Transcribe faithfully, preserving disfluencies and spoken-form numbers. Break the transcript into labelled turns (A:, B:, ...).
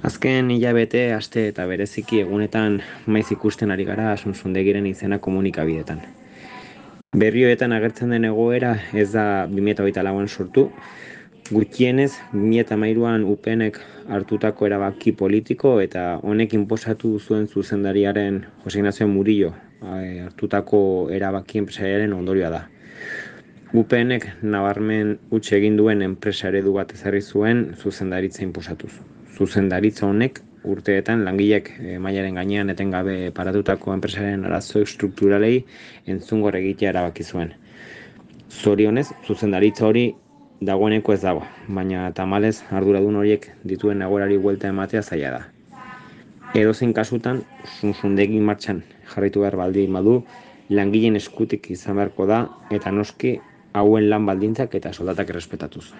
A: Azken hilabete, aste eta bereziki egunetan maiz ikusten ari gara Asunzundegiren izena komunikabidetan. Berrioetan agertzen den egoera ez da bi mila hogeita lauan sortu, gutxienez bi mila hamairuan U P Nek hartutako erabaki politiko eta honek inposatu zuen zuzendariaren Jose Ignacio Murillo eh, hartutako erabaki enpresariaren ondorioa da. U P Nek nabarmen huts egin duen enpresa eredu bat ezarri zuen zuzendaritza inposatuz. Zuzendaritza honek urteetan langileek e, mailaren gainean etengabe paratutako enpresaren arazo estrukturalei entzungor egitea erabaki zuen. Zorionez, zuzendaritza hori dagoeneko ez dago, baina tamalez arduradun horiek dituen egoerari buelta ematea zaila da. Edozein kasutan, Asunzundegi martxan jarraitu behar baldin badu, langileen eskutik izan beharko da eta noski hauen lan baldintzak eta soldatak errespetatuz.